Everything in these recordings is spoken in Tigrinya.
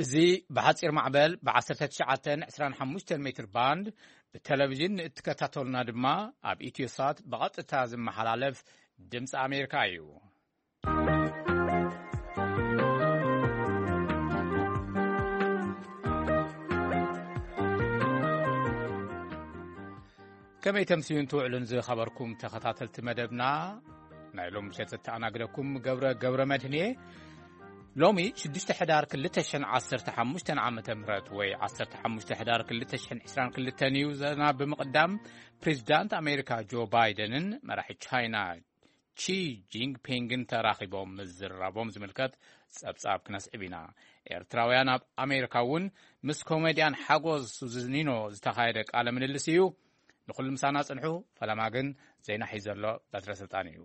እዚ ብሓጺር ማዕበል ብ19 25 ሜትር ባንድ ብቴሌቪዥን ንእትከታተሉና ድማ ኣብ ኢትዮሳት ብቐጥታ ዝመሓላለፍ ድምፂ ኣሜሪካ እዩ። ከመይ ተምስዩን ትውዕሉን ዝኸበርኩም ተኸታተልቲ መደብና፣ ናይ ሎም ምሸት ዘተኣናግደኩም ገብረ ገብረ መድህን እየ። ሎሚ ሽዱሽተ ሕዳር ክልተ ሽሕን ዓሰርተ ሓሙሽተን ዓመተ ምህረት ወይ ዓሰርተ ሓሙሽተ ሕዳር ክልተ ሽሕን ዕስራን ክልተን እዩ። ዘና ብምቕዳም ፕሬዚዳንት ኣሜሪካ ጆ ባይደንን መራሒ ቻይና ቺ ጂንግፒንግን ተራኺቦም ምዝራቦም ዝምልከት ጸብጻብ ክነስዕብ ኢና። ኤርትራውያን ኣብ ኣሜሪካ እውን ምስ ኮሜድያን ሓጎስ ሱዝኒኖ ዝተኻየደ ቃለ ምልልስ እዩ። ንኹሉ ምሳና ጽንሑ። ፈለማ ግን ዜና ሒዘሎ በትረ ስልጣን እዩ።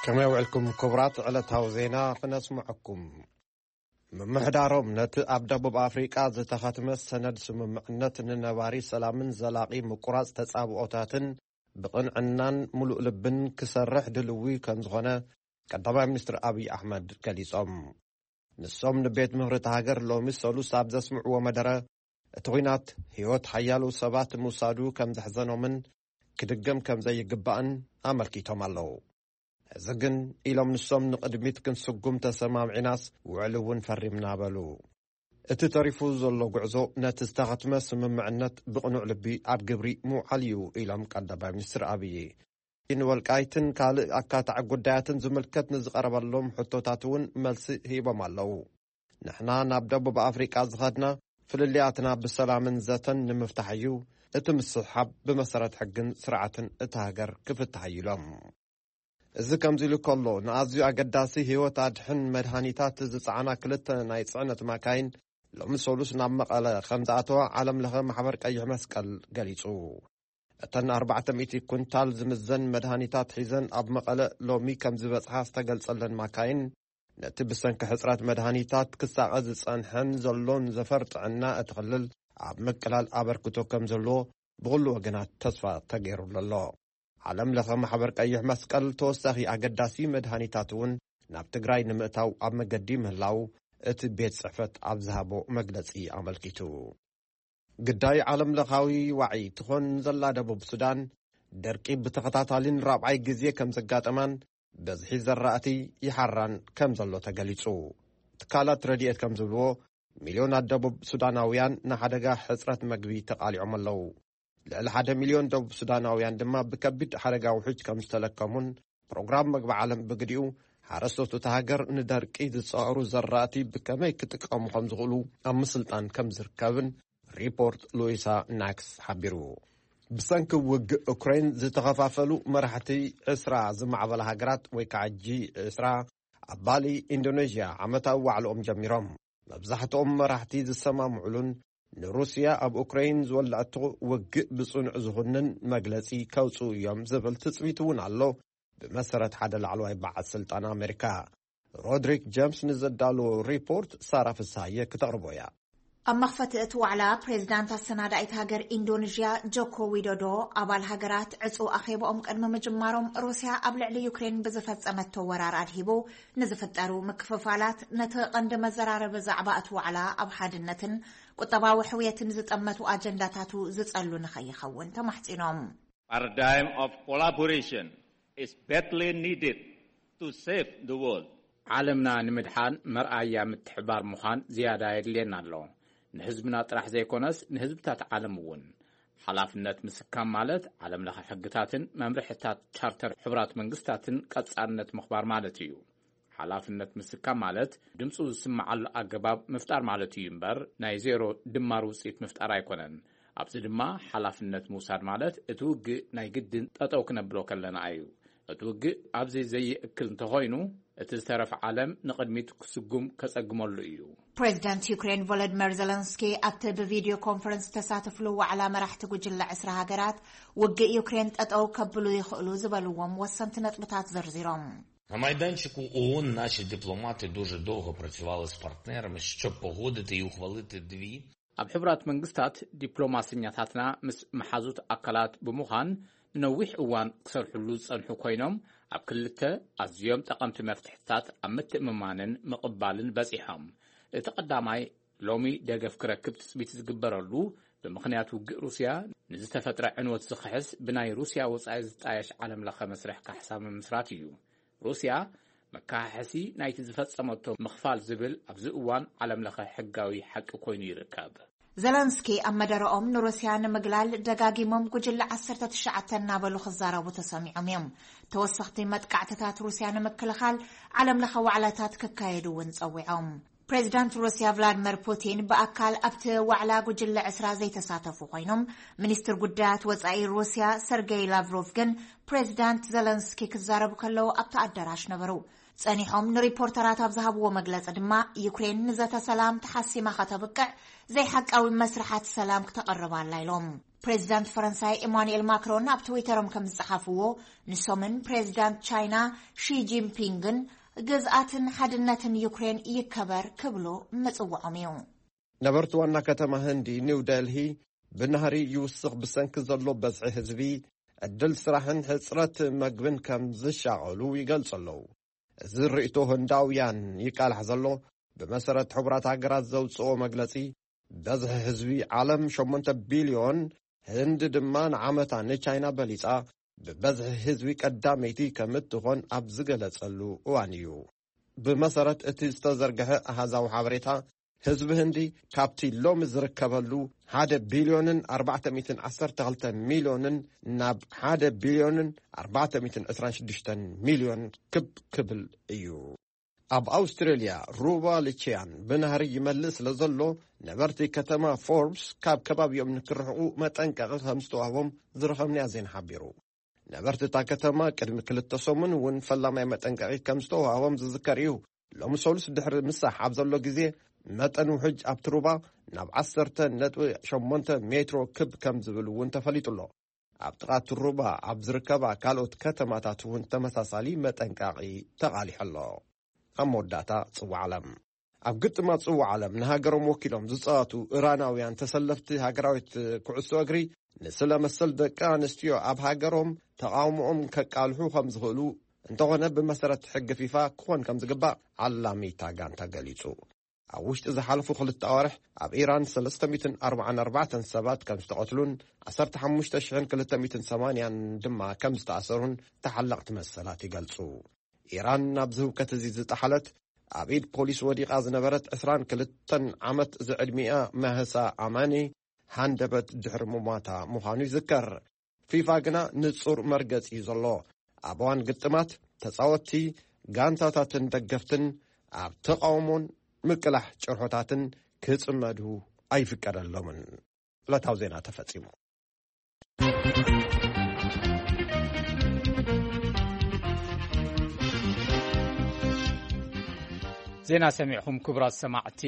ከመይ ውዕልኩም ክቡራት? ዕለታዊ ዜና ክነስምዐኩም። ምምሕዳሮም ነቲ ኣብ ደቡብ ኣፍሪቃ ዝተኸትመ ሰነድ ስምምዕነት ንነባሪ ሰላምን ዘላቒ ምቁራጽ ተጻብኦታትን ብቕንዕናን ምሉእ ልብን ክሰርሕ ድልዊ ከም ዝኾነ ቀዳማይ ሚኒስትር ኣብይ ኣሕመድ ገሊጾም። ንሶም ንቤት ምኽሪ እታ ሃገር ሎሚ ሰሉስ ኣብ ዘስምዕዎ መደረ፣ እቲ ኲናት ህይወት ሓያሎ ሰባት ምውሳዱ ከም ዘሕዘኖምን ክድገም ከም ዘይግባእን ኣመልኪቶም ኣለዉ። እዚ ግን፣ ኢሎም ንሶም፣ ንቕድሚት ክንስጉም ተሰማምዒናስ ውዕል እውን ፈሪምና በሉ። እቲ ተሪፉ ዘሎ ጉዕዞ ነቲ ዝተኸትመ ስምምዕነት ብቕኑዕ ልቢ ኣብ ግብሪ ምውዓል እዩ፣ ኢሎም ቀዳማይ ሚኒስትር ኣብይ። ንወልቃይትን ካልእ ኣካታዒ ጉዳያትን ዝምልከት ንዝቐረበሎም ሕቶታት እውን መልሲ ሂቦም ኣለዉ። ንሕና ናብ ደቡብ ኣፍሪቃ ዝኸድና ፍልልያትና ብሰላምን ዘተን ንምፍታሕ እዩ። እቲ ምስሕሓብ ብመሰረት ሕግን ስርዓትን እታ ሃገር ክፍታሕ እዩ ኢሎም። እዚ ከምዚ ኢሉ ከሎ፣ ንኣዝዩ ኣገዳሲ ህይወት ኣድሕን መድሃኒታት ዝጸዓና ክልተ ናይ ጽዕነት ማካይን ሎሚ ሰሉስ ናብ መቐለ ከም ዝኣተዋ ዓለም ለኸ ማሕበር ቀይሕ መስቀል ገሊጹ። እተን ኣርባዕተ ሚእቲ ኩንታል ዝምዘን መድሃኒታት ሒዘን ኣብ መቐለ ሎሚ ከም ዝበጽሓ ዝተገልጸለን ማካይን፣ ነቲ ብሰንኪ ሕጽረት መድሃኒታት ክሳቐ ዝጸንሐን ዘሎን ዘፈር ጥዕና እቲ ክልል ኣብ ምቅላል ኣበርክቶ ከም ዘለዎ ብኹሉ ወገናት ተስፋ ተገይሩሉ ኣሎ። ዓለም ለኸ ማሕበር ቀይሕ መስቀል ተወሳኺ ኣገዳሲ መድሃኒታት እውን ናብ ትግራይ ንምእታው ኣብ መገዲ ምህላው እቲ ቤት ጽሕፈት ኣብ ዝሃቦ መግለጺ ኣመልኪቱ። ግዳይ ዓለም ለኻዊ ዋዒ ትኾን ዘላ ደቡብ ሱዳን፣ ደርቂ ብተኸታታሊን ራብዓይ ግዜ ከም ዘጋጠማን በዝሒ ዘራእቲ ይሓራን ከም ዘሎ ተገሊጹ። ትካላት ረድኤት ከም ዝብልዎ፣ ሚልዮናት ደቡብ ሱዳናውያን ንሓደጋ ሕጽረት መግቢ ተቓሊዖም ኣለዉ። ልዕሊ ሓደ ሚልዮን ደቡብ ሱዳናውያን ድማ ብከቢድ ሓደጋ ውሕጅ ከም ዝተለከሙን፣ ፕሮግራም መግቢ ዓለም ብግዲኡ ሓረስቶት እታ ሃገር ንደርቂ ዝጸዕሩ ዘራእቲ ብከመይ ክጥቀሙ ከም ዝኽእሉ ኣብ ምስልጣን ከም ዝርከብን ሪፖርት ሉዊሳ ናክስ ሓቢሩ። ብሰንኪ ውግእ ዩክሬን ዝተኸፋፈሉ መራሕቲ ዕስራ ዝማዕበላ ሃገራት ወይ ከዓ ጂ ዕስራ ኣብ ባሊ ኢንዶኔዥያ ዓመታዊ ዋዕልኦም ጀሚሮም። መብዛሕትኦም መራሕቲ ዝሰማምዑሉን ንሩስያ ኣብ ኡክራይን ዝወለዐቶ ውግእ ብጽኑዕ ዝኹንን መግለጺ ከውጽኡ እዮም ዝብል ትጽቢት እውን ኣሎ። ብመሰረት ሓደ ላዕለዋይ በዓል ስልጣን ኣሜሪካ ሮድሪክ ጀምስ ንዘዳለዎ ሪፖርት ሳራ ፍስሃየ ክተቕርቦ እያ። ኣብ መኽፈቲ እቲ ዋዕላ ፕሬዝዳንት ኣሰናዳኢት ሃገር ኢንዶኔዥያ ጆኮ ዊዶዶ ኣባል ሃገራት ዕጹ ኣኼባኦም ቅድሚ ምጅማሮም ሩስያ ኣብ ልዕሊ ዩክሬን ብዝፈጸመቶ ወራር ኣድሂቡ ንዝፍጠሩ ምክፍፋላት ነቲ ቀንዲ መዘራረቢ ዛዕባ እቲ ዋዕላ ኣብ ሓድነትን ቁጠባዊ ሕውየትን ዝጠመቱ ኣጀንዳታቱ ዝጸሉ ንኸይኸውን ተማሕጺኖም። Paradigm of collaboration is badly needed to save the world. ዓለምና ንምድሓን መርኣያ ምትሕባር ምዃን ዝያዳ የድልየና ኣሎ። ንህዝብና ጥራሕ ዘይኮነስ ንህዝብታት ዓለም እውን። ሓላፍነት ምስካም ማለት ዓለም ለኸ ሕግታትን መምርሕታት ቻርተር ሕቡራት መንግስታትን ቀጻልነት ምኽባር ማለት እዩ። ሓላፍነት ምስካም ማለት ድምፁ ዝስምዓሉ ኣገባብ ምፍጣር ማለት እዩ እምበር ናይ ዜሮ ድማር ውፅኢት ምፍጣር ኣይኮነን። ኣብዚ ድማ ሓላፍነት ምውሳድ ማለት እቲ ውግእ ናይ ግድን ጠጠው ክነብሎ ከለና እዩ። እቲ ውግእ ኣብዚ ዘይእክል እንተኾይኑ እቲ ዝተረፈ ዓለም ንቕድሚት ክስጉም ከፀግመሉ እዩ። ፕሬዚዳንት ዩክሬን ቮሎዲመር ዘለንስኪ ኣብቲ ብቪድዮ ኮንፈረንስ ዝተሳተፍሉ ዋዕላ መራሕቲ ጉጅለ ዕስራ ሃገራት ውግእ ዩክሬን ጠጠው ከብሉ ይኽእሉ ዝበልዎም ወሰንቲ ነጥብታት ዘርዚሮም። На майданчику ООН наші дипломати дуже довго працювали з партнерами, щоб погодити і ухвалити дві. ኣብ ሕቡራት መንግስታት ዲፕሎማሰኛታትና ምስ መሓዙት ኣካላት ብምዃን ንነዊሕ እዋን ክሰርሕሉ ዝጸንሑ ኮይኖም ኣብ ክልተ ኣዝዮም ጠቐምቲ መፍትሕታት ኣብ ምትእምማንን ምቕባልን በጺሖም። እቲ ቀዳማይ ሎሚ ደገፍ ክረክብ ትጽቢት ዝግበረሉ፣ ብምኽንያት ውግእ ሩስያ ንዝተፈጥረ ዕንወት ዝኽሕስ ብናይ ሩስያ ወጻኢ ዝጣየሽ ዓለም ለኸ መስርሕ ካሕሳ ምምስራት እዩ። ሩስያ መካሓሕሲ ናይቲ ዝፈጸመቶ ምኽፋል ዝብል ኣብዚ እዋን ዓለም ለኸ ሕጋዊ ሓቂ ኮይኑ ይርከብ። ዘለንስኪ ኣብ መደረኦም ንሩስያ ንምግላል ደጋጊሞም ጉጅለ ዓሰርተ ትሽዓተ እናበሉ ክዛረቡ ተሰሚዖም እዮም። ተወሰኽቲ መጥቃዕትታት ሩስያ ንምክልኻል ዓለም ለኸ ዋዕላታት ክካየዱ እውን ጸዊዖም። ፕሬዚዳንት ሩስያ ቭላድመር ፑቲን ብኣካል ኣብቲ ዋዕላ ጉጅለ ዕስራ ዘይተሳተፉ ኮይኖም፣ ሚኒስትር ጉዳያት ወጻኢ ሩስያ ሰርጌይ ላቭሮቭ ግን ፕሬዚዳንት ዘለንስኪ ክዛረቡ ከለዉ ኣብቲ ኣዳራሽ ነበሩ። ጸኒሖም ንሪፖርተራት ኣብ ዝሃብዎ መግለጺ ድማ፣ ዩክሬን ንዘተ ሰላም ተሓሲማ ከተብቅዕ ዘይሓቃዊ መስርሓት ሰላም ክተቕርብ ኣላ ኢሎም። ፕሬዚዳንት ፈረንሳይ ኢማኑኤል ማክሮን ኣብ ትዊተሮም ከም ዝጸሓፍዎ፣ ንሶምን ፕሬዚዳንት ቻይና ሺ ጂንፒንግን ግዝኣትን ሓድነትን ዩክሬን ይከበር ክብሉ ምጽውዖም እዩ። ነበርቲ ዋና ከተማ ህንዲ ኒው ደልሂ ብናህሪ ይውስኽ ብሰንኪ ዘሎ በዝሒ ህዝቢ፣ ዕድል ስራሕን ሕፅረት መግብን ከም ዝሻቐሉ ይገልጹ ኣለዉ። እዚ ርእይቶ ህንዳውያን ይቃላሕ ዘሎ፣ ብመሰረት ሕቡራት ሃገራት ዘውፅኦ መግለፂ፣ በዝሒ ህዝቢ ዓለም ሸሞንተ ቢልዮን፣ ህንዲ ድማ ንዓመታ ንቻይና በሊፃ ብበዝሒ ህዝቢ ቀዳመይቲ ከም እትኾን ኣብ ዝገለጸሉ እዋን እዩ። ብመሰረት እቲ ዝተዘርግሐ ኣሃዛዊ ሓበሬታ፣ ህዝቢ ህንዲ ካብቲ ሎሚ ዝርከበሉ ሓደ ቢልዮንን ኣርባዕተ ሚእትን ዓሰርተ ክልተ ሚልዮንን ናብ ሓደ ቢልዮንን ኣርባዕተ ሚእትን ዕስራን ሽዱሽተን ሚልዮን ክብ ክብል እዩ። ኣብ ኣውስትራልያ፣ ሩባ ልቺያን ብናህሪ ይመልእ ስለ ዘሎ፣ ነበርቲ ከተማ ፎርብስ ካብ ከባቢኦም ንክርሕቑ መጠንቀቒ ከም ዝተዋህቦም ዝረኸብናዮ ዜና ሓቢሩ። ነበርቲ እታ ከተማ ቅድሚ ክልተ ሰሙን እውን ፈላማይ መጠንቀቒ ከም ዝተዋህቦም ዝዝከር እዩ። ሎሚ ሰሉስ ድሕሪ ምሳሕ ኣብ ዘሎ ግዜ፣ መጠን ውሕጅ ኣብቲ ሩባ ናብ ዓሰርተ ነጥቢ ሸሞንተ ሜትሮ ክብ ከም ዝብል እውን ተፈሊጡ ኣሎ። ኣብ ጥቓ እቲ ሩባ ኣብ ዝርከባ ካልኦት ከተማታት እውን ተመሳሳሊ መጠንቀቒ ተቓሊሑ ኣሎ። ኣብ መወዳእታ፣ ጽዋዕ ዓለም። ኣብ ግጥማት ጽዋዕ ዓለም ንሃገሮም ወኪሎም ዝጻወቱ ኢራናውያን ተሰለፍቲ ሃገራዊት ኩዕሶ እግሪ፣ ንስለ መሰል ደቂ ኣንስትዮ ኣብ ሃገሮም ተቓውሞኦም ከቃልሑ ከም ዝኽእሉ፣ እንተኾነ ብመሰረት ሕጊ ፊፋ ክኾን ከም ዝግባእ ዓላሚ እታ ጋንታ ገሊጹ። ኣብ ውሽጢ ዝሓለፉ ክልተ ኣዋርሕ ኣብ ኢራን ሰለስተ ሚእትን ኣርባዓን ኣርባዕተን ሰባት ከም ዝተቐትሉን ዓሰርተ ሓሙሽተ ሽሕን ክልተ ሚእትን ሰማንያን ድማ ከም ዝተኣሰሩን ተሓለቕቲ መሰላት ይገልጹ። ኢራን ናብዚ ህውከት እዚ ዝጠሓለት፣ ኣብ ኢድ ፖሊስ ወዲቓ ዝነበረት ዕስራን ክልተን ዓመት ዝዕድሚኣ ማህሳ ኣማኒ ሃንደበት ድሕሪ ምሟታ ምዃኑ ይዝከር። ፊፋ ግና ንጹር መርገጺ እዩ ዘሎ። ኣብ እዋን ግጥማት፣ ተጻወትቲ፣ ጋንታታትን ደገፍትን ኣብ ተቓውሞን ምቅላሕ ጭርሖታትን ክጽመዱ ኣይፍቀደሎምን። ዕለታዊ ዜና ተፈጺሙ። ዜና ሰሚዕኹም ክቡራት ሰማዕቲ፣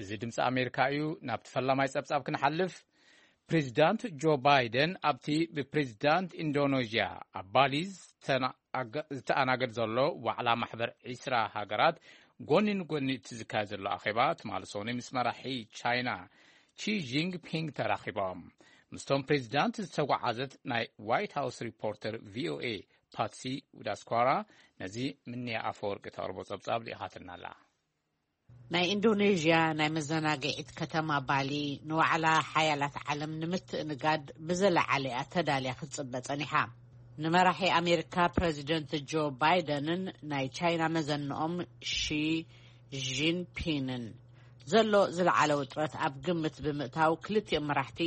እዚ ድምፂ ኣሜሪካ እዩ። ናብቲ ፈላማይ ጸብጻብ ክንሓልፍ፣ ፕሬዚዳንት ጆ ባይደን ኣብቲ ብፕሬዚዳንት ኢንዶኔዥያ ኣብ ባሊ ዝተኣናገድ ዘሎ ዋዕላ ማሕበር ዒስራ ሃገራት ጎኒ ንጎኒ እቲ ዝካየድ ዘሎ ኣኼባ ትማሊ ሰኑይ ምስ መራሒ ቻይና ቺ ጂንግፒንግ ተራኺቦም። ምስቶም ፕሬዚዳንት ዝተጓዓዘት ናይ ዋይት ሃውስ ሪፖርተር ቪኦኤ ፓትሲ ዊዳስኳራ ነዚ ምንያ ኣፈወርቂ ተቕርቦ ጸብጻብ ልኢኻትና ኣላ። ናይ ኢንዶኔዥያ ናይ መዘናግዒት ከተማ ባሊ ንዋዕላ ሓያላት ዓለም ንምትእንጋድ ብዝለዓለ እያ ተዳልያ ክትጽበ ጸኒሓ። ንመራሒ ኣሜሪካ ፕረዚደንት ጆ ባይደንን ናይ ቻይና መዘንኦም ሺ ጂንፒንን ዘሎ ዝለዓለ ውጥረት ኣብ ግምት ብምእታው፣ ክልቲኦም መራሕቲ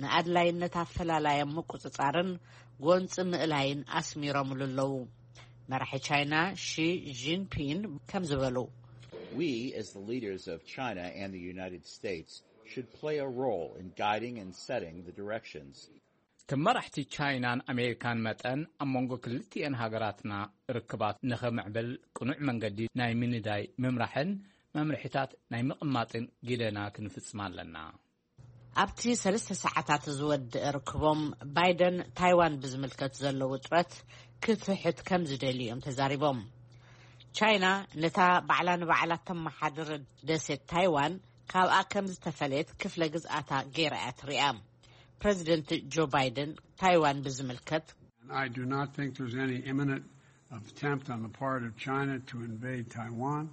ንኣድላይነት ኣፈላላዮም ምቁጽጻርን ጎንጺ ምእላይን ኣስሚሮምሉ ኣለዉ። መራሒ ቻይና ሺ ጂንፒን ከም ዝበሉ፣ We, as the leaders of China and the United States, should play a role in guiding and setting the directions. ከም መራሕቲ ቻይናን ኣሜሪካን መጠን፣ ኣብ መንጎ ክልቲኤን ሃገራትና ርክባት ንኸምዕብል ቅኑዕ መንገዲ ናይ ምንዳይ፣ ምምራሕን መምርሒታት ናይ ምቕማጥን ግደና ክንፍጽም ኣለና። ኣብቲ ሰለስተ ሰዓታት ዝወድእ ርክቦም፣ ባይደን ታይዋን ብዝምልከት ዘሎ ውጥረት ክትሕት ከም ዝደልዩ እዮም ተዛሪቦም። ቻይና ነታ ባዕላ ንባዕላ ተመሓድር ደሴት ታይዋን ካብኣ ከም ዝተፈለየት ክፍለ ግዝኣታ ገይራ እያ ትሪኣ። ፕረዚደንት ጆ ባይደን ታይዋን ብዝምልከት፣ I do not think there's any imminent attempt on the part of China to invade Taiwan,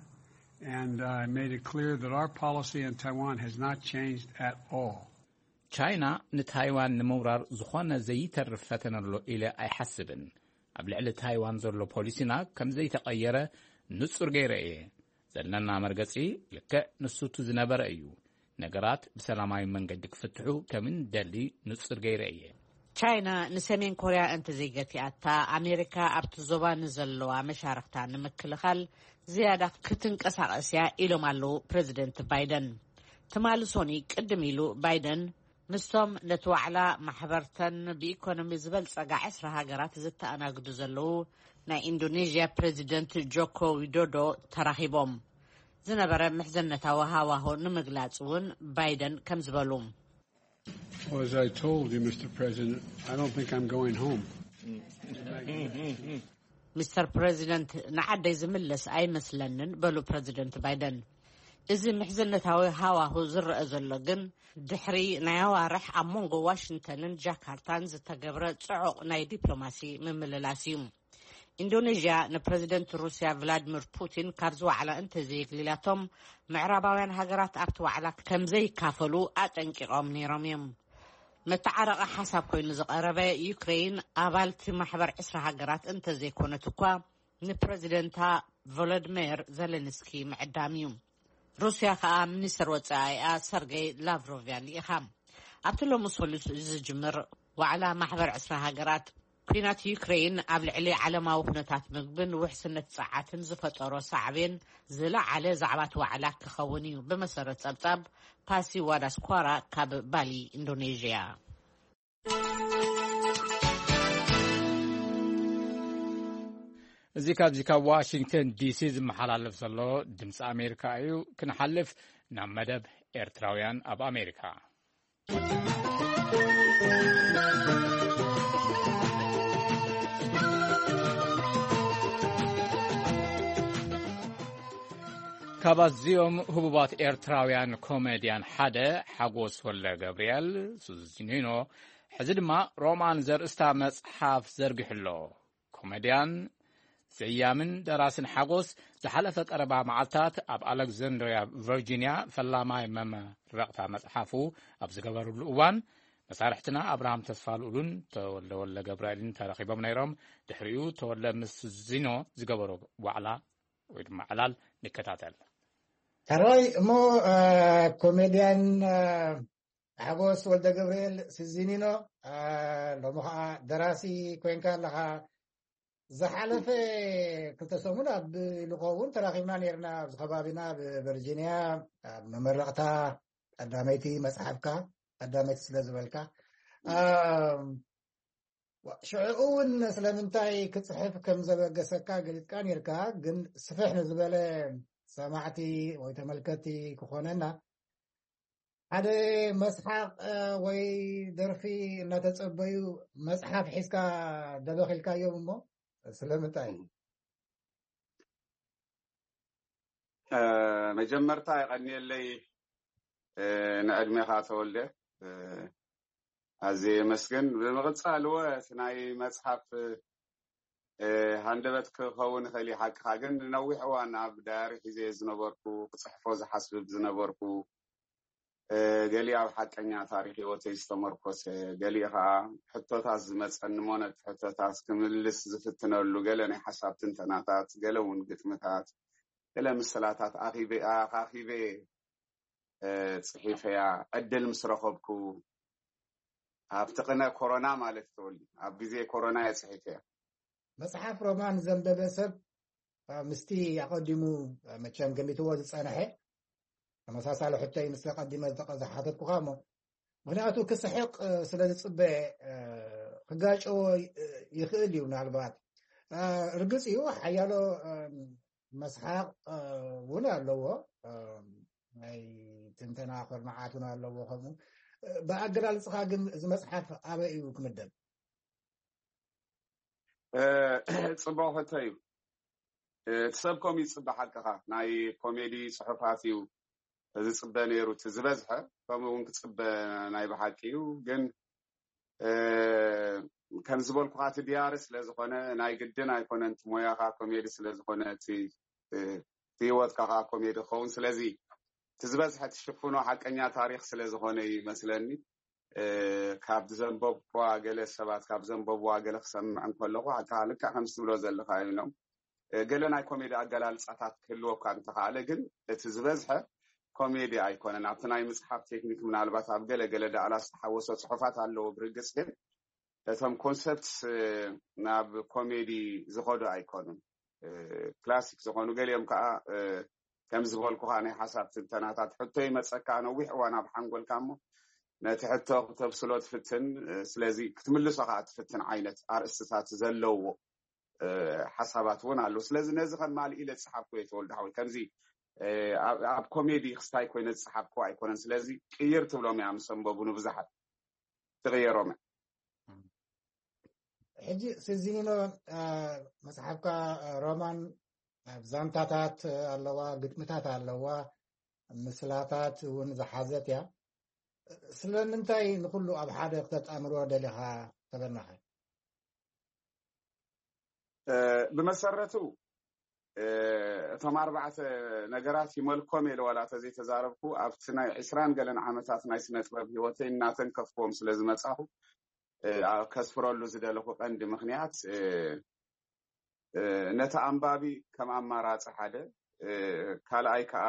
and I made it clear that our policy on Taiwan has not changed at all. ቻይና ንታይዋን ንምውራር ዝኾነ ዘይተርፍ ፈተነ ኣሎ ኢለ ኣይሓስብን። ኣብ ልዕሊ ታይዋን ዘሎ ፖሊሲና ከም ዘይተቐየረ ንጹር ገይረ እየ። ዘለና መርገጺ ልክዕ ንሱ እቲ ዝነበረ እዩ። ነገራት ብሰላማዊ መንገዲ ክፍትሑ ከም እንደሊ ንጹር ገይረ እየ። ቻይና ንሰሜን ኮርያ እንተዘይገቲኣታ፣ ኣሜሪካ ኣብቲ ዞባ ንዘለዋ መሻርኽታ ንምክልኻል ዝያዳ ክትንቀሳቐስ እያ ኢሎም ኣለዉ ፕረዚደንት ባይደን። ትማሊ ሶኒ ቅድም ኢሉ ባይደን ምስቶም ነቲ ዋዕላ ማሕበርተን ብኢኮኖሚ ዝበልጸጋ ዕስራ ሃገራት ዝተኣናግዱ ዘለዉ ናይ ኢንዶኔዥያ ፕረዚደንት ጆኮ ዊዶዶ ተራኺቦም። ዝነበረ ምሕዝነታዊ ሃዋሁ ንምግላጽ እውን ባይደን ከም ዝበሉ Well, as I told you, Mister President, I don't think I'm going home. ሚስተር ፕረዚደንት፣ ንዓደይ ዝምለስ ኣይመስለንን በሉ ፕረዚደንት ባይደን። እዚ ምሕዝነታዊ ሃዋሁ ዝረአ ዘሎ ግን ድሕሪ ናይ ኣዋርሕ ኣብ መንጎ ዋሽንግተንን ጃካርታን ዝተገብረ ጽዑቕ ናይ ዲፕሎማሲ ምምልላስ እዩ። ኢንዶኔዥያ ንፕረዚደንት ሩስያ ቭላድሚር ፑቲን ካብዚ ዋዕላ እንተዘየግሊላቶም፣ ምዕራባውያን ሃገራት ኣብቲ ዋዕላ ከም ዘይካፈሉ ኣጠንቂቖም ነይሮም እዮም። መተዓረቒ ሓሳብ ኮይኑ ዝቐረበ፣ ዩክሬን ኣባልቲ ማሕበር ዕስራ ሃገራት እንተዘይኮነት እኳ፣ ንፕረዚደንታ ቮሎድሜር ዘለንስኪ ምዕዳም እዩ። ሩስያ ከኣ ሚኒስተር ወጻኢኣ ሰርጌይ ላቭሮቭ እያ ልኢኻ። ኣብቲ ሎሚ ሰሉስ ዝጅምር ዋዕላ ማሕበር ዕስራ ሃገራት፣ ኲናት ዩክሬን ኣብ ልዕሊ ዓለማዊ ኩነታት ምግብን ውሕስነት ጸዓትን ዝፈጠሮ ሳዕቤን ዝለዓለ ዛዕባት ዋዕላ ክኸውን እዩ፣ ብመሰረት ጸብጻብ ፓሲ ዋዳስኳራ ካብ ባሊ ኢንዶኔዥያ። እዚ ካብዚ ካብ ዋሽንግተን ዲሲ ዝመሓላለፍ ዘሎ ድምፂ ኣሜሪካ እዩ። ክንሓልፍ ናብ መደብ ኤርትራውያን ኣብ ኣሜሪካ። ካብ ኣዝዮም ህቡባት ኤርትራውያን ኮሜድያን ሓደ ሓጎስ ወልደ ገብርኤል፣ ሱዚኒኖ፣ ሕዚ ድማ ሮማን ዘርእስታ መጽሓፍ ዘርጊሑ ኣሎ። ኮሜድያን ዘያምን ደራስን ሓጎስ፣ ዝሓለፈ ቀረባ መዓልታት ኣብ ኣሌክዛንድሪያ ቨርጂንያ ፈላማይ መመረቕታ መጽሓፉ ኣብ ዝገበርሉ እዋን፣ መሳርሕትና ኣብርሃም ተስፋልኡልን ተወልደ ወልደ ገብርኤልን ተረኺቦም ነይሮም። ድሕሪኡ ተወልደ ምስ ዚኖ ዝገበሮ ዋዕላ ወይ ድማ ዕላል ንከታተል። ሕራይ እሞ፣ እ፣ ኮሜድያን፣ እ፣ ሓጎስ ወልደ ገብርኤል ስዚኒኖ፣ እ፣ ሎሚ ኸዓ ደራሲ ኮንካ ኣለኻ። ዝሓለፈ ክልተ ሰሙን ኣብ ኢሉ ኸውን ተራኺብና ነይርና፣ ኣብዚ ከባቢና ብቨርጂንያ ኣብ መመረቕታ ቀዳመይቲ መጽሓፍካ፣ ቀዳመይቲ ስለ ዝበልካ። እ፣ ዋ፣ ሽዑ እውን ስለምንታይ ክጽሕፍ ከም ዘበገሰካ ገሊጽካ ነይርካ፣ ግን ስፍሕ ንዝበለ ሰማዕቲ ወይ ተመልከቲ ክኾነና፣ ሓደ መስሓቕ፣ እ፣ ወይ ደርፊ እናተጸበዩ መጽሓፍ ሒዝካ ደበኺልካዮም እሞ ስለምንታይ? እ፣ መጀመርታ የቐንየለይ፣ እ፣ ንዕድሜኻ ተወልደ፣ እ፣ ኣዝየ የመስግን። ብምቕጻል እወ እቲ ናይ መጽሓፍ፣ እ፣ ሃንደበት ክኸውን ይኽእል እዩ፣ ሓቅኻ። ግን ንነዊሕ እዋን ኣብ ዳያሪ ሒዘ ዝነበርኩ፣ ክጽሕፎ ዝሓስብ ዝነበርኩ፣ እ፣ ገሊኡ ኣብ ሓቀኛ ታሪኽ ህይወተይ ዝተመርኮሰ፣ ገሊኡ ኸዓ ሕቶታት ዝመጸኒ እሞ ነቲ ሕቶታት ክምልስ ዝፍትነሉ፣ ገለ ናይ ሓሳብ ትንተናታት፣ ገለ እውን ግጥምታት፣ ገለ ምስላታት ኣኺበ-፣ ኣኻኺበ፣ እ፣ ጽሒፈያ። ዕድል ምስ ረኸብኩ፣ ኣብቲ ቅነ ኮሮና ማለት ተወሊ፣ ኣብ ግዜ ኮሮና እየ ጽሒፈያ። መጽሓፍ ሮማን ዘንበበ ሰብ፣ እ፣ ምስቲ ኣቐዲሙ፣ እ፣ መቸም ገሚትዎ ዝጸንሐ ተመሳሳሊ ሕቶ እዩ ምስ ቀዲመ ዝተቐ-፣ ዝሓተትኩኻ እሞ፣ ምኽንያቱ ክስሕቕ፣ እ፣ ስለ ዝጽበ፣ እ፣ ክጋጨዎ ይ-፣ ይኽእል እዩ ምናልባት። እ፣ ርግጽ እዩ ሓያሎ፣ እ፣ መስሓቕ፣ እ፣ እውን ኣለዎ። እ፣ ናይ ትንተና ኩርናዓት እውን ኣለዎ። ከምኡ፣ እ፣ ብኣገላልጽኻ ግን እዚ መጽሓፍ ኣበይ እዩ ክምደብ? እ፣ ጽቡቕ ሕቶ እዩ። እ፣ እቲ ሰብ ከምኡ ይጽበ፣ ሓቅኻ። ናይ ኮሜዲ ጽሑፋት እዩ ዝጽበ ነይሩ፣ እቲ ዝበዝሐ ከምኡ እውን ክጽበ ናይ ብሓቂ እዩ። ግን፣ እ፣ ከም ዝበልኩኻ እቲ ዲያሪ ስለ ዝኾነ ናይ ግድን ኣይኮነን፣ እቲ ሞያኻ ኮሜዲ ስለ ዝኾነ እቲ እ፣ እቲ ህይወትካ ከዓ ኮሜዲ ክኸውን። ስለዚ እቲ ዝበዝሐ ትሽፍኖ ሓቀኛ ታሪክ ስለ ዝኾነ እዩ ይመስለኒ። እ፣ ካብ ዘንበብኳ ገለ ሰባት ካብ ዘንበብዋ ገለ ክሰምዕ እንከለኹ ኣታ ልክዕ ከም ትብሎ ዘለኻ እዮም። እ፣ ገለ ናይ ኮሜዲ ኣገላልጻታት ክህልወካ እንተኸኣለ ግን እቲ ዝበዝሐ ኮሜዲ ኣይኮነን። ኣብቲ ናይ ምጽሓፍ ቴክኒክ ምናልባት ኣብ ገለ ገለ ዳእላ ዝተሓወሶ ጽሑፋት ኣለዎ። ብርግጽ ግን እቶም ኮንሰፕትስ ናብ ኮሜዲ ዝኸዱ ኣይኮኑን። ክላሲክ ዝኾኑ ገሊኦም ከዓ ከም ዝበልኩኻ ናይ ሓሳብ ትንተናታት ሕቶ ይመፀካ። ነዊሕ እዋን ኣብ ሓንጎልካ እሞ ነቲ ሕቶ ክተብስሎ ትፍትን፣ ስለዚ ክትምልሶ ከዓ ትፍትን ዓይነት ኣርእስትታት ዘለዎ ሓሳባት እውን ኣለዉ። ስለዚ ነዚ ከም ማልእ ኢለ ዝፀሓፍኩ እየ ተወልደ ሓወይ። ከምዚ ኣብ ኮሜዲ ክስታይ ኮይነ ዝፀሓፍኩ ኣይኮነን። ስለዚ ቅይር ትብሎም እያ ምስ ኣንበቡ ንብዙሓት ትቕየሮም እያ። ሕጂ ስዚኒኖ፣ መፅሓፍካ ሮማን ዛንታታት ኣለዋ፣ ግጥምታት ኣለዋ፣ ምስላታት እውን ዝሓዘት እያ። ስለምንታይ ንኩሉ ኣብ ሓደ ክተጣምሮ ደሊኻ ተበናኸ? ብመሰረቱ እቶም ኣርባዕተ ነገራት ይመልኮም ኢለ ዋላ ተዘይተዛረብኩ ኣብቲ ናይ ዕስራን ገለን ዓመታት ናይ ስነ ጥበብ ህይወተይ እናተንከፍክዎም ስለ ዝመፃኹ ከስፍረሉ ዝደለኹ ቀንዲ ምክንያት ነቲ ኣንባቢ ከም ኣማራፂ ሓደ፣ ካልኣይ ከዓ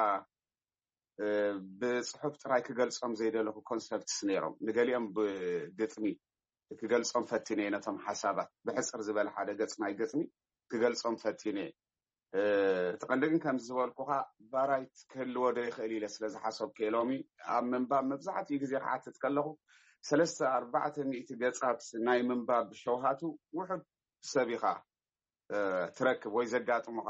ብፅሑፍ ጥራይ ክገልፆም ዘይደለኹ ኮንሰፕትስ ነይሮም። ንገሊኦም ብግጥሚ ክገልፆም ፈቲነ እየ። ነቶም ሓሳባት ብሕፅር ዝበለ ሓደ ገፅ ናይ ግጥሚ ክገልፆም ፈቲነ እየ። እቲ ቀንዲ ግን ከምዚ ዝበልኩኻ ባራይት ክህልዎ ዶ ይኽእል ኢለ ስለ ዝሓሰብኩ እየ። ሎሚ ኣብ ምንባብ መብዛሕትኡ ግዜ ክሓትት ከለኹ ሰለስተ ኣርባዕተ ሚእቲ ገፃት ናይ ምንባብ ሸውሃቱ ውሑድ ሰብ ኢኻ ትረክብ ወይ ዘጋጥሙኻ።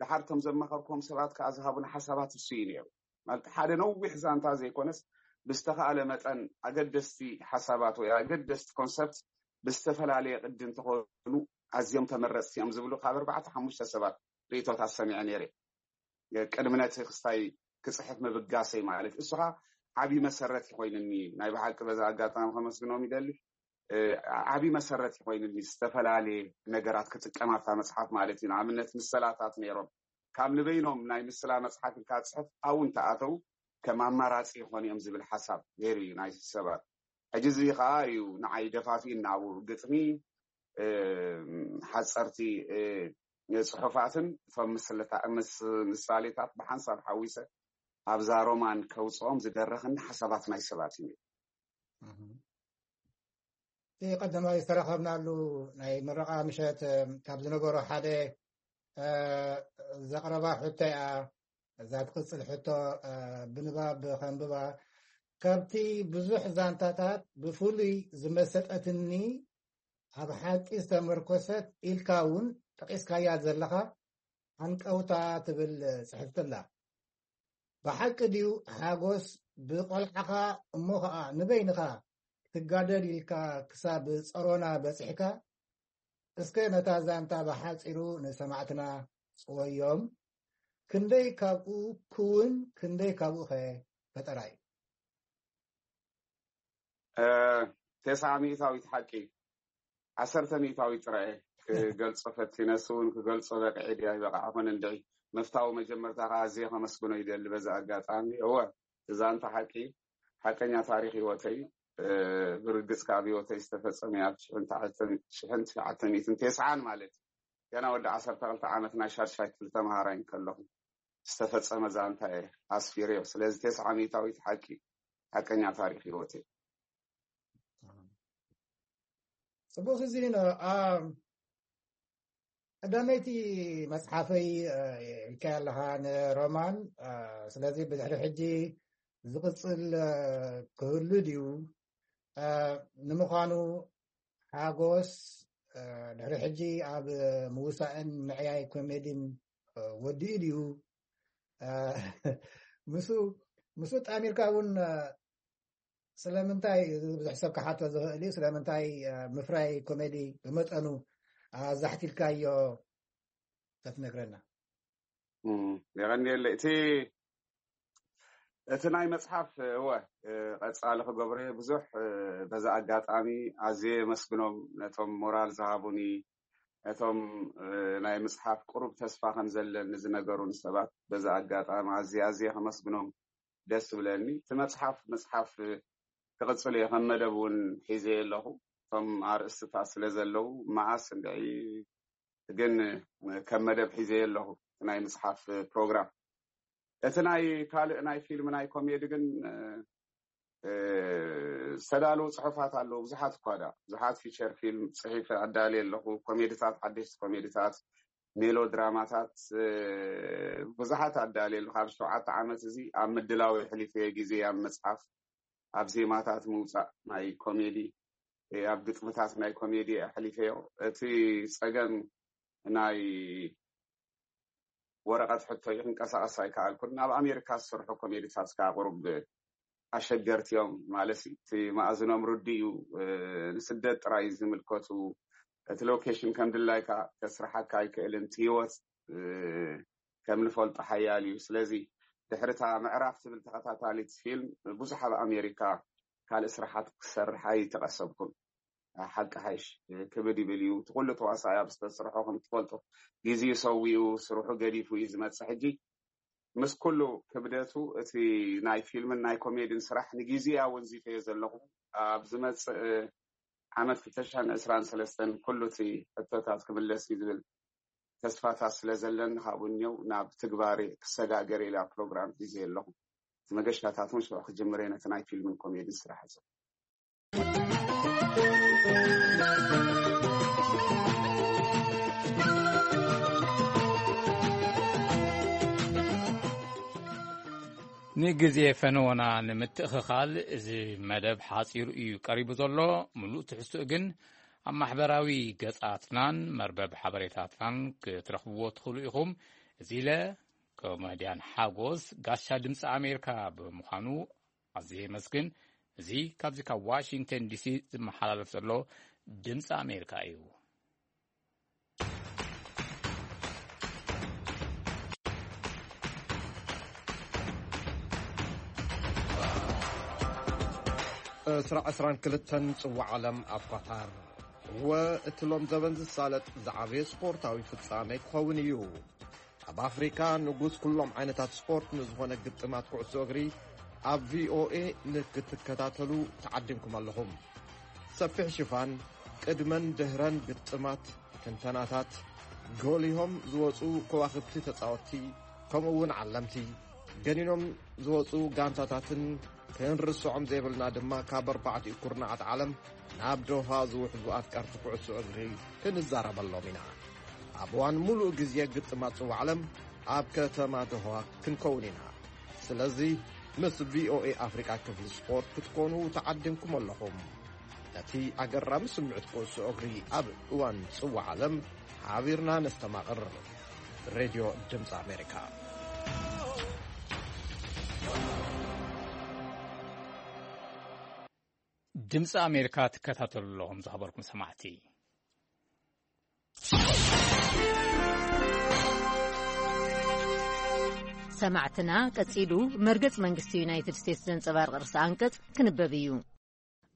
ድሓር እቶም ዘማኸርኩም ሰባት ከዓ ዝሃቡን ሓሳባት እሱ እዩ ነይሩ። ማለት ሓደ ነዊሕ ዛንታ ዘይኮነስ ብዝተኻእለ መጠን ኣገደስቲ ሓሳባት ወይ ኣገደስቲ ኮንሰፕት ብዝተፈላለየ ቅዲ እንተኾኑ ኣዝዮም ተመረፅቲ እዮም ዝብሉ ካብ ኣርባዕተ ሓሙሽተ ሰባት ርእቶታት ሰሚዐ ነይረ። ቅድሚ ነቲ ክስታይ ክፅሕፍ ምብጋሰይ ማለት እሱ ከዓ ዓብዪ መሰረት ይኮይንኒ። ናይ ብሓቂ በዛ ኣጋጣሚ ከመስግኖም ይደሊ። ዓብዪ መሰረት ይኮይንኒ ዝተፈላለየ ነገራት ክጥቀም ኣብታ መፅሓፍ ማለት እዩ። ንኣብነት ምስላታት ነይሮም። ካብ ንበይኖም ናይ ምስላ መፅሓፍ ኢልካ ፅሕፍ ኣብኡ እንተኣተው ከም ኣማራፂ ይኾኑ እዮም ዝብል ሓሳብ ነይሩ እዩ ናይ ሰባት። ሕጂ እዚ ከዓ እዩ ንዓይ ደፋፊእና ኣብኡ ግጥሚ ሓፀርቲ ፅሑፋትን እቶም ምሳሌታት ብሓንሳብ ሓዊሰ ኣብዛ ሮማን ከውፅኦም ዝደረኽኒ ሓሳባት ናይ ሰባት እዩ። እቲ ቀዳማይ ዝተረኸብናሉ ናይ ምረቓ ምሸት ካብ ዝነበሮ ሓደ ዘቕረባ ሕቶ እያ። እዛ ትቕፅል ሕቶ ብንባብ ከንብባ። ካብቲ ብዙሕ ዛንታታት ብፍሉይ ዝመሰጠትኒ ኣብ ሓቂ ዝተመርኮሰት ኢልካ እውን ጠቒስካያ ዘለኻ ሃንቀውታ ትብል ፅሕፍቲ ኣላ። ብሓቂ ድዩ ሓጎስ ብቆልዓኻ እሞ ኸዓ ንበይንኻ ትጋደል ኢልካ ክሳብ ፀሮና በፂሕካ? እስከ ነታ ዛንታ ብሓፂሩ ንሰማዕትና ፅወዮም። ክንደይ ካብኡ ክውን ክንደይ ካብኡ ኸ ፈጠራ እዩ? ተስዓ ሚእታዊት ሓቂ፣ ዓሰርተ ሚእታዊት ጥራይ ክገልፆ ፈቲነ። እሱ እውን ክገልፆ በቂዐ ድዩ ኣይበቃዕኹን እንድዒ ምፍታው መጀመርታ ከዓ ኣዝየ ከመስግኖ ይደሊ በዚ ኣጋጣሚ። እወ፣ እዛ እንተ ሓቂ ሓቀኛ ታሪክ ህይወተይ፣ ብርግፅ ካብ ህይወተይ ዝተፈፀመ ኣብ ሽሕን ትሽዓተ ሚእትን ተስዓን ማለት እዩ። ገና ወዲ ዓሰርተ ክልተ ዓመት ናይ ሻድሻይ ክፍሊ ተምሃራይ እንከለኹ ዝተፈፀመ ዛንታ እየ ኣስፊረዮ። ስለዚ ተስዓ ሚእታዊት ሓቂ ሓቀኛ ታሪክ ህይወት እዩ። ፅቡቅ እዚ ቀዳመይቲ መፅሓፈይ ኢልካ ኣለኻ ንሮማን። ስለዚ ብድሕሪ ሕጂ ዝቅፅል ክህሉ ድዩ? ንምዃኑ ሓጎስ ድሕሪ ሕጂ ኣብ ምውሳእን ምዕያይ ኮሜዲን ወዲኡ ድዩ? ምስ ምስ ጣሚርካ እውን ስለምንታይ ብዙሕ ሰብ ክሓቶ ዝኽእል እዩ፣ ስለምንታይ ምፍራይ ኮሜዲ ብመጠኑ ኣዛሕቲልካዮ ተትነግረና? የቐንየለ። እቲ እቲ ናይ መጽሓፍ እወ፣ ቀጻሊ ክገብሮ እየ። ብዙሕ በዛ ኣጋጣሚ ኣዝየ የመስግኖም፣ ነቶም ሞራል ዝሃቡኒ፣ ነቶም ናይ ምጽሓፍ ቁሩብ ተስፋ ከም ዘለኒ ዝነገሩኒ ሰባት በዛ ኣጋጣሚ ኣዝየ ኣዝየ ከመስግኖም ደስ ዝብለኒ። እቲ መጽሓፍ፣ መጽሓፍ ክቕጽል እየ፣ ከም መደብ እውን ሒዘየ ኣለኹ። እቶም ኣርእስትታት ስለ ዘለዉ፣ መዓስ እንድዒ ግን ከም መደብ ሒዘየ ኣለኹ፣ እቲ ናይ ምጽሓፍ ፕሮግራም። እቲ ናይ ካልእ ናይ ፊልም ናይ ኮሜዲ ግን፣ እ፣ ዝተዳለዉ ጽሑፋት ኣለዉ፣ ብዙሓት እኳ ደኣ፣ ብዙሓት ፊቸር ፊልም ጽሒፈ ኣዳልየ ኣለኹ፣ ኮሜድታት፣ ሓደሽቲ ኮሜድታት፣ ሜሎድራማታት፣ እ፣ ብዙሓት ኣዳልየ ኣለኹ። ኣብ ሸውዓተ ዓመት እዚ ኣብ ምድላው የሕሊፈ ግዜ፣ ኣብ መጽሓፍ፣ ኣብ ዜማታት ምውጻእ ናይ ኮሜዲ፣ እ፣ ኣብ ግጥምታት ናይ ኮሜዲ ኣሕሊፈዮ። እቲ ጸገም ናይ ወረቐት ሕቶ እዩ፣ ክንቀሳቐስ ኣይከኣልኩን። ኣብ ኣሜሪካ ዝስርሑ ኮሜዲታት ከኣ ቁሩብ ኣሸገርቲ እዮም፣ ማለት እቲ መኣዝኖም ርዱእ እዩ። እ፣ ንስደት ጥራይ ዝምልከቱ፣ እቲ ሎኬሽን ከም ድላይካ ከስርሓካ ኣይክእልን፣ እቲ ህይወት፣ እ፣ ከም ንፈልጦ ሓያል እዩ። ስለዚ ድሕሪ እታ ምዕራፍ ትብል ተኸታታሊት ፊልም ብዙሕ ኣብ ኣሜሪካ ካልእ ስራሓት ክሰርሕ ኣይተቐሰብኩን። ሓቂ ሓይሽ ክብድ ይብል እዩ። እቲ ኩሉ ተዋሳኣይ ኣብ ዝተስርሖ ከም ትፈልጦ ግዜኡ ሰዊኡ ስርሑ ገዲፉ እዩ ዝመጽእ። ሕጂ ምስ ኩሉ ክብደቱ እቲ ናይ ፊልምን ናይ ኮሜድን ስራሕ ንግዜኡ ኣወንዚፈዮ ዘለኹ። ኣብ ዝመጽእ ዓመት ክልተ ሽሕን ዕስራን ሰለስተን ኩሉ እቲ ሕቶታት ክምለስ እዩ ዝብል ተስፋታት ስለ ዘለኒ፣ ካብኡ እኒው ናብ ትግባሬ ክሰጋገር ኢላ ፕሮግራም ሒዘ ኣለኹ። እቲ መገሻታት እውን ሽዑ ክጅምር እየ ነቲ ናይ ፊልምን ኮሜድን ስራሕ እዚ። ንግዜ ፈነወና ንምትእኽኻል፣ እዚ መደብ ሓጺሩ እዩ ቀሪቡ ዘሎ። ምሉእ ትሕዝትኡ ግን ኣብ ማሕበራዊ ገጻትናን መርበብ ሓበሬታትናን ክትረኽብዎ ትኽእሉ ኢኹም። እዚ ኢለ፣ ኮሜድያን ሓጎስ ጋሻ ድምፂ ኣሜሪካ ብምዃኑ ኣዝየ የመስግን። እዚ ካብዚ ካብ ዋሽንግተን ዲሲ ዝመሓላለፍ ዘሎ ድምፂ ኣሜሪካ እዩ። ዕስራ ዕስራን ክልተን ጽዋዕ ዓለም ኣብ ኳታር። እወ፣ እቲ ሎም ዘበን ዝሳለጥ ዝዓበየ ስፖርታዊ ፍጻመ ክኸውን እዩ። ኣብ ኣፍሪካ ንጉስ ኩሎም ዓይነታት ስፖርት ንዝኾነ ግጥማት ኩዕሶ እግሪ ኣብ ቪኦኤ ንክትከታተሉ ተዓዲምኩም ኣለኹም። ሰፊሕ ሽፋን፣ ቅድመን ድህረን ግጥማት፣ ትንተናታት፣ ጎሊሆም ዝወጹ ከዋኽብቲ ተጻወትቲ፣ ከምኡ እውን ዓለምቲ፣ ገኒኖም ዝወጹ ጋንታታትን ክንርስዖም ዘይብልና ድማ ካብ ኣርባዕቲኡ ኩርናዓት ዓለም ናብ ዶሃ ዝውሕዙ ኣፍቀርቲ ኩዕሶ እግሪ ክንዛረበሎም ኢና። ኣብ እዋን ሙሉእ ግዜ ግጥማት ጽዋዕ ዓለም ኣብ ከተማ ዶሃ ክንከውን ኢና። ስለዚ ምስ ቪኦኤ ኣፍሪቃ ክፍሊ ስፖርት ክትኮኑ ተዓዲምኩም ኣለኹም። ነቲ ኣገራሚ ስምዒት ኩዕሶ እግሪ ኣብ እዋን ጽዋዕ ዓለም ሓቢርና ነስተማቕር። ሬድዮ ድምፂ ኣሜሪካ። ድምፂ ኣሜሪካ ትከታተሉ ኣለኹም ዝኸበርኩም ሰማዕቲ። ሰማዕትና፣ ቀጺሉ መርገጽ መንግስቲ ዩናይትድ ስቴትስ ዘንጸባርቕ ርእሰ ኣንቀጽ ክንበብ እዩ።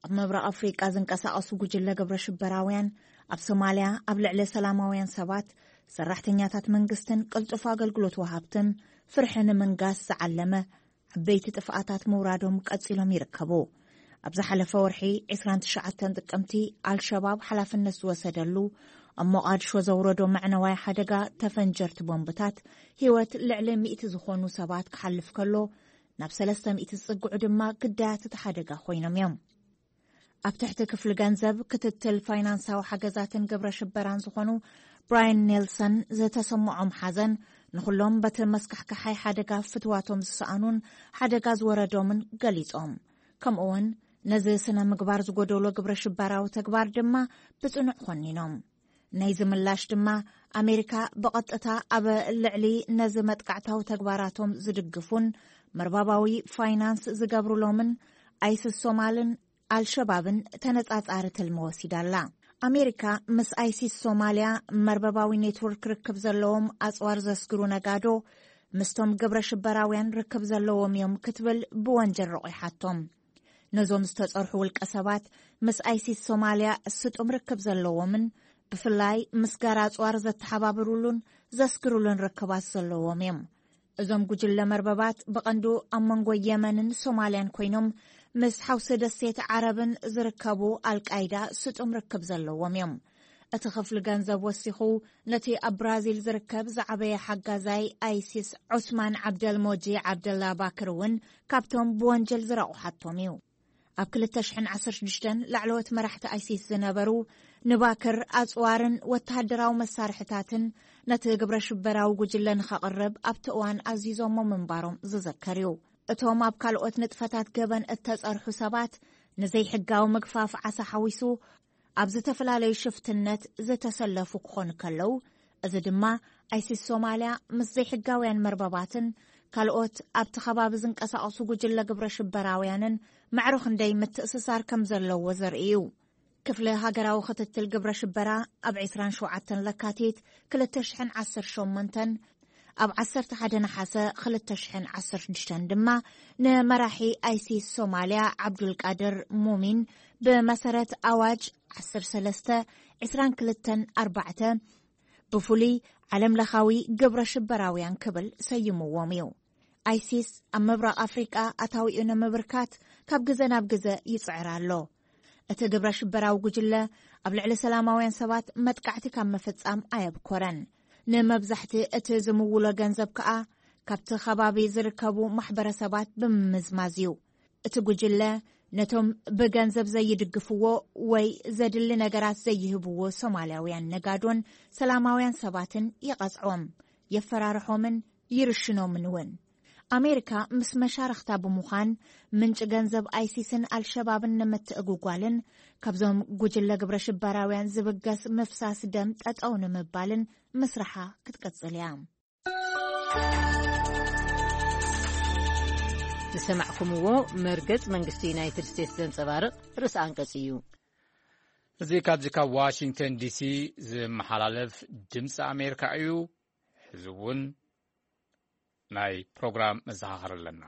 ኣብ ምብራቕ ኣፍሪቃ ዝንቀሳቐሱ ጉጅለ ግብረ ሽበራውያን ኣብ ሶማልያ ኣብ ልዕሊ ሰላማውያን ሰባት፣ ሰራሕተኛታት መንግስትን ቅልጡፍ ኣገልግሎት ወሃብትን ፍርሒ ንምንጋስ ዝዓለመ ዓበይቲ ጥፍኣታት ምውራዶም ቀጺሎም ይርከቡ። ኣብ ዝሓለፈ ወርሒ ዕስራን ትሽዓተን ጥቅምቲ፣ ኣልሸባብ ሓላፍነት ዝወሰደሉ ኣብ ሞቓድሾ ዘውረዶ መዕነዋይ ሓደጋ ተፈንጀርቲ ቦምብታት ህይወት ልዕሊ ሚእቲ ዝኾኑ ሰባት ክሓልፍ ከሎ፣ ናብ ሰለስተ ሚእቲ ዝጽግዑ ድማ ግዳያት እቲ ሓደጋ ኮይኖም እዮም። ኣብ ትሕቲ ክፍሊ ገንዘብ፣ ክትትል ፋይናንሳዊ ሓገዛትን ግብረ ሽበራን ዝኾኑ ብራያን ኔልሰን ዝተሰምዖም ሓዘን ንኹሎም በቲ መስካሕካሓይ ሓደጋ ፍትዋቶም ዝሰኣኑን ሓደጋ ዝወረዶምን ገሊጾም። ከምኡውን ነዚ ስነ ምግባር ዝጎደሎ ግብረ ሽበራዊ ተግባር ድማ ብጽኑዕ ኮኒኖም። ናይዚ ምላሽ ድማ ኣሜሪካ ብቐጥታ ኣብ ልዕሊ ነዚ መጥቃዕታዊ ተግባራቶም ዝድግፉን መርባባዊ ፋይናንስ ዝገብሩሎምን ኣይስስ ሶማልን ኣልሸባብን ተነጻጻሪ ትልሚ ወሲዳ ኣላ። ኣሜሪካ ምስ ኣይሲስ ሶማልያ መርበባዊ ኔትወርክ ርክብ ዘለዎም ኣጽዋር ዘስግሩ ነጋዶ ምስቶም ግብረ ሽበራውያን ርክብ ዘለዎም እዮም ክትብል ብወንጀል ረቑሓቶም። ነዞም ዝተጸርሑ ውልቀ ሰባት ምስ ኣይሲስ ሶማልያ ስጡም ርክብ ዘለዎምን ብፍላይ ምስ ጋር ኣጽዋር ዘተሓባብሩሉን ዘስግሩሉን ርክባት ዘለዎም እዮም። እዞም ጉጅለ መርበባት ብቐንዱ ኣብ መንጎ የመንን ሶማልያን ኮይኖም ምስ ሓውሲ ደሴት ዓረብን ዝርከቡ ኣልቃይዳ ስጡም ርክብ ዘለዎም እዮም። እቲ ክፍሊ ገንዘብ ወሲኹ ነቲ ኣብ ብራዚል ዝርከብ ዝዓበየ ሓጋዛይ ኣይሲስ ዑስማን ዓብደልሞጂ ዓብደላ ባክር እውን ካብቶም ብወንጀል ዝረቑሓቶም እዩ። ኣብ ክልተ ሽሕን ዓሰርተ ሽዱሽተን ላዕለዎት መራሕቲ ኣይሲስ ዝነበሩ ንባክር ኣጽዋርን ወተሃደራዊ መሳርሕታትን ነቲ ግብረ ሽበራዊ ጉጅለ ንኸቕርብ ኣብቲ እዋን ኣዚዞሞ ምንባሮም ዝዘከር እዩ። እቶም ኣብ ካልኦት ንጥፈታት ገበን እተጸርሑ ሰባት ንዘይሕጋዊ ምግፋፍ ዓሳ ሓዊሱ ኣብ ዝተፈላለዩ ሽፍትነት ዝተሰለፉ ክኾኑ ከለዉ፣ እዚ ድማ ኣይሲስ ሶማልያ ምስ ዘይሕጋውያን መርበባትን ካልኦት ኣብቲ ከባቢ ዝንቀሳቐሱ ጉጅለ ግብረ ሽበራውያንን መዕሮ ክንደይ ምትእስሳር ከም ዘለዎ ዘርኢ እዩ። ክፍሊ ሃገራዊ ክትትል ግብረ ሽበራ ኣብ ዕስራን ሸውዓተን ለካቲት ክልተ ሽሕን ዓሰርተ ሸሞንተን፣ ኣብ ዓሰርተ ሓደ ነሓሰ ክልተ ሽሕን ዓሰርተ ሽዱሽተን ድማ ንመራሒ ኣይሲስ ሶማልያ ዓብዱልቃድር ሙሚን ብመሰረት ኣዋጅ ዓሰርተ ሰለስተ ዕስራን ክልተን ኣርባዕተ ብፍሉይ ዓለም ለኻዊ ግብረ ሽበራውያን ክብል ሰይምዎም እዩ። ኣይሲስ ኣብ ምብራቕ ኣፍሪቃ ኣታዊኡ ንምብርካት ካብ ግዘ ናብ ግዘ ይጽዕር ኣሎ። እቲ ግብረ ሽበራዊ ጉጅለ ኣብ ልዕሊ ሰላማውያን ሰባት መጥቃዕቲ ካብ ምፍጻም ኣየብኮረን። ንመብዛሕቲ እቲ ዝምውሎ ገንዘብ ከኣ ካብቲ ከባቢ ዝርከቡ ማሕበረሰባት ብምምዝማዝ እዩ። እቲ ጉጅለ ነቶም ብገንዘብ ዘይድግፍዎ ወይ ዘድሊ ነገራት ዘይህብዎ ሶማልያውያን ነጋዶን ሰላማውያን ሰባትን ይቐጽዖም፣ የፈራርሖምን ይርሽኖምን እውን። ኣሜሪካ ምስ መሻርኽታ ብምዃን ምንጪ ገንዘብ ኣይሲስን ኣልሸባብን ንምትእጉጓልን ካብዞም ጉጅለ ግብረ ሽበራውያን ዝብገስ ምፍሳስ ደም ጠጠው ንምባልን ምስራሓ ክትቀጽል እያ። ዝሰማዕኩምዎ መርገጽ መንግስቲ ዩናይትድ ስቴትስ ዘንጸባርቕ ርእሲ ኣንቀጽ እዩ። እዚ ካብዚ ካብ ዋሽንግተን ዲሲ ዝመሓላለፍ ድምፂ ኣሜሪካ እዩ። ሕዚ እውን ናይ ፕሮግራም መዘኻኸር ኣለና።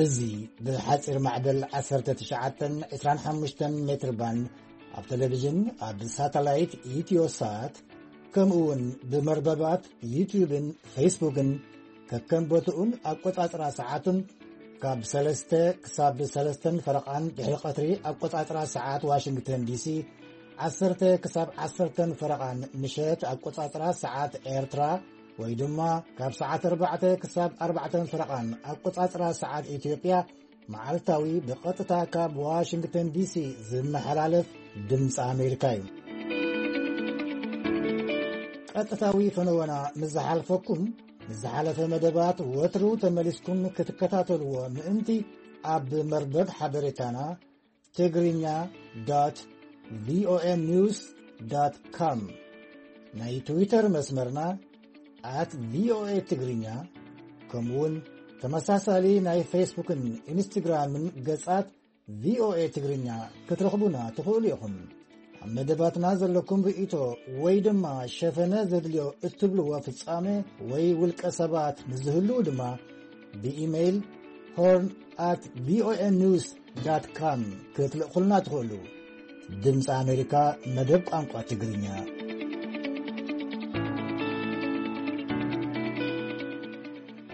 እዚ ብሓፂር ማዕበል ዓሰርተ ትሽዓተን ዕስራን ሓሙሽተን ሜትር ባንድ ኣብ ቴሌቪዥን፣ ኣብ ሳተላይት ኢትዮሳት፣ ከምኡ እውን ብመርበባት ዩትዩብን ፌስቡክን ከከም ቦትኡን ኣቆጻጽራ ሰዓቱን ካብ ሰለስተ ክሳብ ሰለስተን ፈረቓን ድሕሪ ቀትሪ ኣቆጻጽራ ሰዓት ዋሽንግተን ዲሲ፣ ዓሰርተ ክሳብ ዓሰርተን ፈረቓን ምሸት ኣቆጻጽራ ሰዓት ኤርትራ፣ ወይ ድማ ካብ ሰዓት ኣርባዕተ ክሳብ ኣርባዕተን ፈረቓን ኣቆጻጽራ ሰዓት ኢትዮጵያ፣ መዓልታዊ ብቐጥታ ካብ ዋሽንግተን ዲሲ ዝመሓላለፍ ድምፂ ኣሜሪካ እዩ። ቀጥታዊ ፈነወና ምስ ዝሓልፈኩም፣ ንዝሓለፈ መደባት ወትሩ ተመሊስኩም ክትከታተልዎ ምእንቲ፣ ኣብ መርበብ ሓበሬታና ትግርኛ ዶት ቪኦኤ ኒውስ ዶት ኮም፣ ናይ ትዊተር መስመርና ኣት ቪኦኤ ትግርኛ፣ ከምኡውን ተመሳሳሊ ናይ ፌስቡክን ኢንስትግራምን ገጻት ቪኦኤ ትግርኛ ክትረኽቡና ትኽእሉ ኢኹም። ኣብ መደባትና ዘለኩም ርእይቶ ወይ ድማ ሸፈነ ዘድልዮ እትብልዎ ፍጻመ ወይ ውልቀ ሰባት ምስ ዝህልዉ ድማ ብኢሜይል ሆርን ኣት ቪኦኤ ኒውስ ዳት ካም ክትልእኹልና ትኽእሉ። ድምፂ ኣሜሪካ፣ መደብ ቋንቋ ትግርኛ።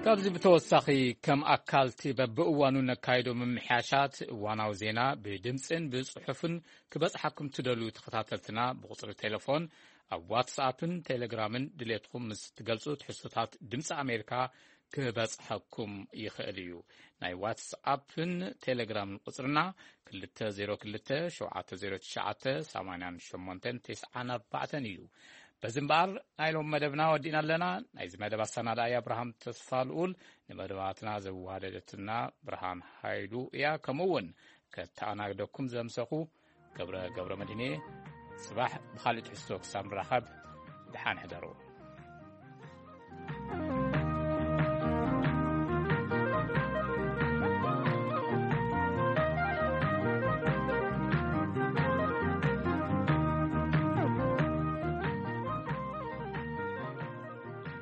ካብዚ ብተወሳኺ፣ ከም ኣካልቲ በብእዋኑ ነካይዶ ምምሕያሻት፣ እዋናዊ ዜና ብድምፅን ብፅሑፍን ክበፅሓኩም ትደልዩ ተኸታተልትና፣ ብቁፅሪ ቴሌፎን፣ ኣብ ዋትስኣፕን ቴሌግራምን ድሌትኩም ምስ ትገልጹ፣ ትሕዝቶታት ድምፂ ኣሜሪካ ክበጽሐኩም ይኽእል እዩ። ናይ ዋትስኣፕን ቴሌግራምን ቁጽርና ክልተ ዜሮ ክልተ፣ ሸውዓተ ዜሮ ትሽዓተ፣ ሰማንያን ሸሞንተን ተስዓን ኣርባዕተን እዩ። በዚ እምበኣር፣ ናይ ሎም መደብና ወዲእና ኣለና። ናይዚ መደብ ኣሰናዳኢ ኣብርሃም ተስፋ ልኡል፣ ንመደባትና ዘዋደደትና ብርሃን ሃይሉ እያ። ከምኡ እውን ከተኣናግደኩም ዘምሰኹ ገብረ፣ ገብረ መድህን እየ። ጽባሕ ብኻልእ ትሕዝቶ ክሳብ ንራኸብ፣ ደሓን ሕደሩ።